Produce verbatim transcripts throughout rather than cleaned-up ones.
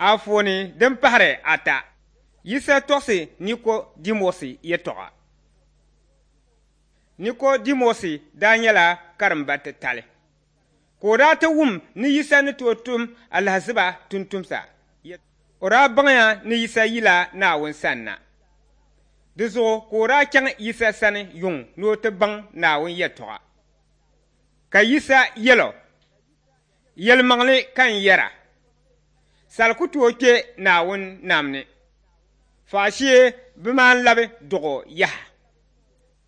Anfooni din pahiri ata, Yisa tɔɣisi Nikodimɔsi yɛtɔɣa. Nikodimɔsi daa nyɛla karimba titali, ka o daa ti wum ni Yisa ni tooi tum alahiziba tumtumsa. O daa baŋya ni Yisa yila Naawuni sanna. Di zuɣu ka o daa chaŋ Yisa sani yuŋ ni o ti baŋ Naawuni yɛtɔɣa. Ka Yisa yɛl o, Yɛlimaŋli ka n yɛra, sal ku tooi kpe Naawuni nam ni, faashee bɛ maan labi dɔɣ o yaha.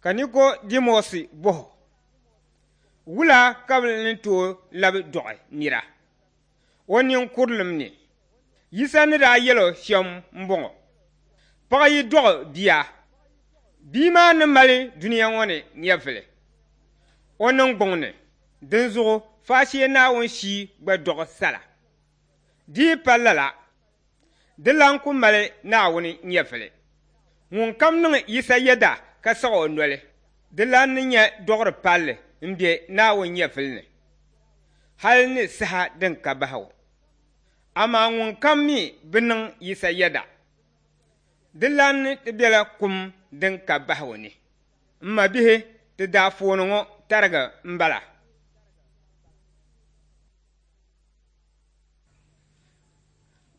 Ka Nikodimɔsi bɔh o, Wula ka bɛ ni tooi labi dɔɣi nira? O ninkurilim ni. Yisa ni daa yɛl o shɛm m-bɔŋɔ, Paɣa yi dɔɣi bia, bia maa ni mali dunia ŋɔ ni nyɛvili o niŋgbuŋ ni, dinzuɣu faashee Naawuni shii gba dɔɣi sala. Di yi pa lala, di lan ku mali Naawuni nyɛvili. Ŋunkam niŋ Yisa yɛda ka saɣ o noli, di lan ni nya dɔɣiri palli m-be Naawuni nyɛvili ni, hal ni saha din ka bahigu. Amaa ŋunkam mi bi niŋ Yisa yɛda, di lan ni ti bela kum din ka bahigu ni. M mabihi, ti daafooni ŋɔ tariga m-bala.